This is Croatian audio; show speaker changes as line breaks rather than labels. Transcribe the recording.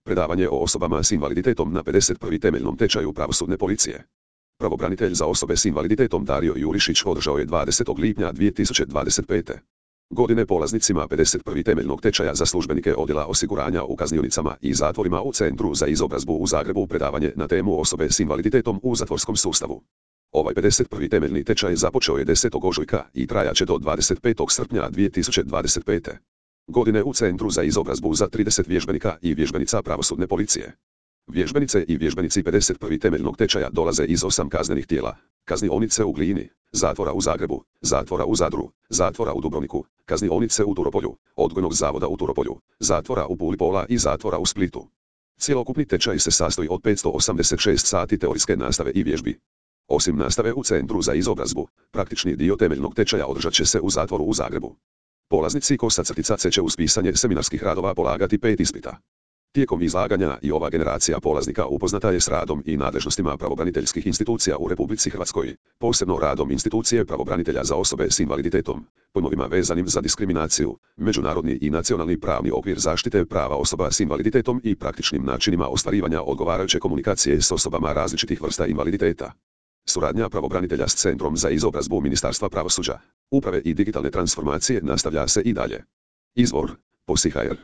Predavanje o osobama s invaliditetom na 51. temeljnom tečaju pravosudne policije. Pravobranitelj za osobe s invaliditetom Dario Jurišić održao je 20. lipnja 2025. godine polaznicima 51. temeljnog tečaja za službenike odjela osiguranja u kaznionicama i zatvorima u Centru za izobrazbu u Zagrebu predavanje na temu osobe s invaliditetom u zatvorskom sustavu. Ovaj 51. temeljni tečaj započeo je 10. ožujka i trajaće do 25. srpnja 2025. godine u Centru za izobrazbu za 30 vježbenika i vježbenica pravosudne policije. Vježbenice i vježbenici 51. temeljnog tečaja dolaze iz 8 kaznenih tijela: kaznionice u Glini, zatvora u Zagrebu, zatvora u Zadru, zatvora u Dubrovniku, kaznionice u Turopolju, odgojnog zavoda u Turopolju, zatvora u Puli Pola i zatvora u Splitu. Cjelokupni tečaj se sastoji od 586 sati teorijske nastave i vježbi. Osim nastave u Centru za izobrazbu, praktični dio temeljnog tečaja održat će se u zatvoru u Zagrebu. Polaznici /C će uz pisanje seminarskih radova polagati 5 ispita. Tijekom izlaganja i ova generacija polaznika upoznata je s radom i nadležnostima pravobraniteljskih institucija u Republici Hrvatskoj, posebno radom institucije pravobranitelja za osobe s invaliditetom, pojmovima vezanim za diskriminaciju, međunarodni i nacionalni pravni okvir zaštite prava osoba s invaliditetom i praktičnim načinima ostvarivanja odgovarajuće komunikacije s osobama različitih vrsta invaliditeta. Suradnja pravobranitelja s Centrom za izobrazbu Ministarstva pravosuđa, uprave i digitalne transformacije nastavlja se i dalje. Izvor: POSI.hr